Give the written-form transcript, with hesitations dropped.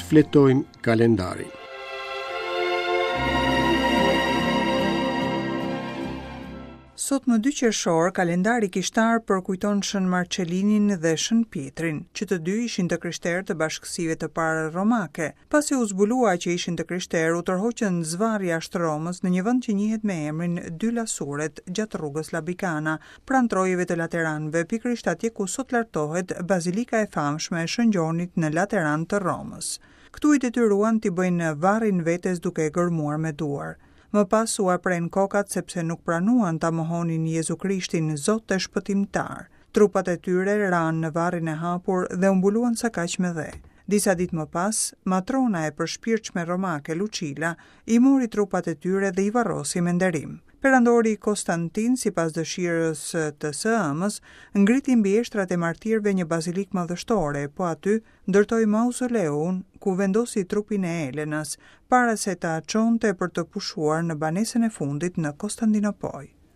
Shfletojmë kalendarin. Sot më 2 qershor, kalendari kishtar përkujton Shën Marçelinin dhe Shën Pjetrin, që të dy ishin të krishterë të bashkësive të para romake. Pasi u zbulua që ishin të krishterë, u tërhoqën zvarrë jashtë Romës në një vend që njihet me emrin Dy Lasuret gjatë rrugës Labicana, pranë trojeve të Lateranëve, pikërisht atje ku sot lartohet Bazilika e famshme e Shën Gjonit në Lateran të Romës. Këtu i detyruan t'i bëjnë varrin vetes duke e gërmuar me duar. Më pas ua prenë kokat sepse nuk pranuan ta mohonin Jezu Krishtin Zot e Shpëtimtar. Trupat e tyre ranë në varrin e hapur dhe u mbuluan sakaq me dhe. Disa ditë më pas, matrona e përshpirtshme romake Lucila i mori trupat e tyre dhe i varrosi me nderim. Perandori Konstantin, sipas dëshirës të së ëmës, ngriti mbi eshtrat e martirëve një bazilikë madhështore, po aty ndërtoi mauzoleun ku vendosi trupin e Elenës, para se ta çonte për të pushuar në banesën e fundit në Kostandinopojë.